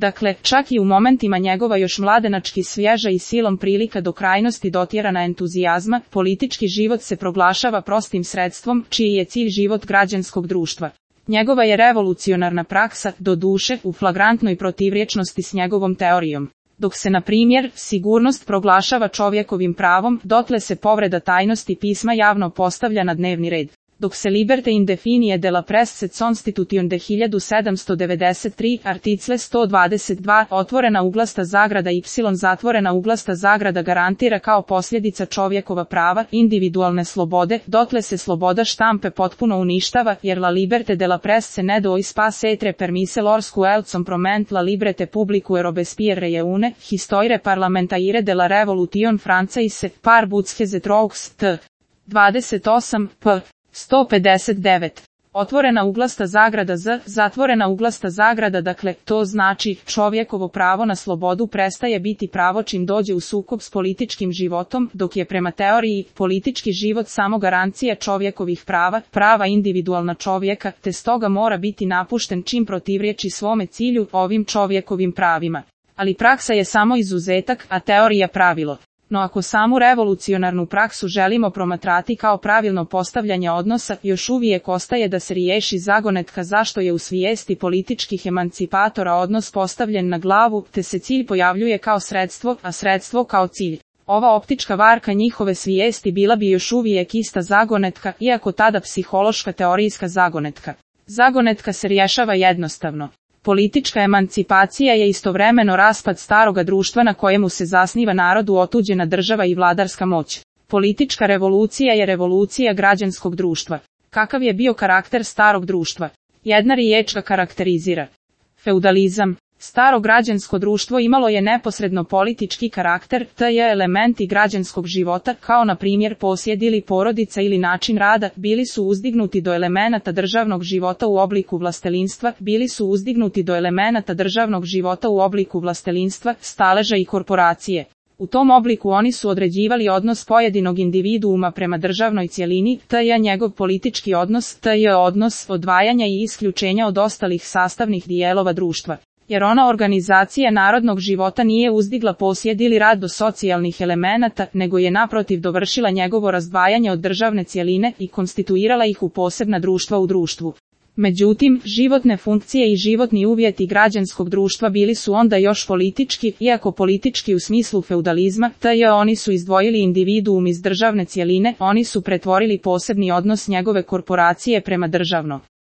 Dakle, čak i u momentima njegova još mladenački svježa i silom prilika do krajnosti dotjerana entuzijazma, politički život se proglašava prostim sredstvom, čiji je cilj život građanskog društva. Njegova je revolucionarna praksa, doduše, u flagrantnoj protivrječnosti s njegovom teorijom. Dok se, na primjer, sigurnost proglašava čovjekovim pravom, dotle se povreda tajnosti pisma javno postavlja na dnevni red. Dok se liberte indefinije de la presse constitution de 1793, article 122, otvorena uglasta zagrada y zatvorena uglasta zagrada garantira kao posljedica čovjekova prava, individualne slobode, dotle se sloboda štampe potpuno uništava, jer la liberte de la presse ne dois pas etre permise lorsque elcom proment la librete publicue Robespierre reune, histoire parlementaire de la revolution française, par butzheze trois, t. 28, p. 159. Otvorena uglasta zagrada z, zatvorena uglasta zagrada, dakle, to znači, čovjekovo pravo na slobodu prestaje biti pravo čim dođe u sukob s političkim životom, dok je prema teoriji politički život samo garancija čovjekovih prava, prava individualna čovjeka, te stoga mora biti napušten čim protivrječi svome cilju, ovim čovjekovim pravima. Ali praksa je samo izuzetak, a teorija pravilo. No ako samu revolucionarnu praksu želimo promatrati kao pravilno postavljanje odnosa, još uvijek ostaje da se riješi zagonetka zašto je u svijesti političkih emancipatora odnos postavljen na glavu, te se cilj pojavljuje kao sredstvo, a sredstvo kao cilj. Ova optička varka njihove svijesti bila bi još uvijek ista zagonetka, iako tada psihološka teorijska zagonetka. Zagonetka se rješava jednostavno. Politička emancipacija je istovremeno raspad staroga društva na kojemu se zasniva narodu otuđena država i vladarska moć. Politička revolucija je revolucija građanskog društva. Kakav je bio karakter starog društva? Jedna riječ ga karakterizira. Feudalizam. Staro građansko društvo imalo je neposredno politički karakter, te je elementi građanskog života, kao na primjer posjed ili porodica ili način rada, bili su uzdignuti do elemenata državnog života u obliku vlastelinstva, staleža i korporacije. U tom obliku oni su određivali odnos pojedinog individuuma prema državnoj cjelini, te je njegov politički odnos, te je odnos odvajanja i isključenja od ostalih sastavnih dijelova društva. Jer ona organizacija narodnog života nije uzdigla posjed ili rad do socijalnih elemenata, nego je naprotiv dovršila njegovo razdvajanje od državne cjeline i konstituirala ih u posebna društva u društvu. Međutim, životne funkcije i životni uvjeti građanskog društva bili su onda još politički, iako politički u smislu feudalizma, te je oni su izdvojili individuum iz državne cjeline, oni su pretvorili posebni odnos njegove korporacije prema državno.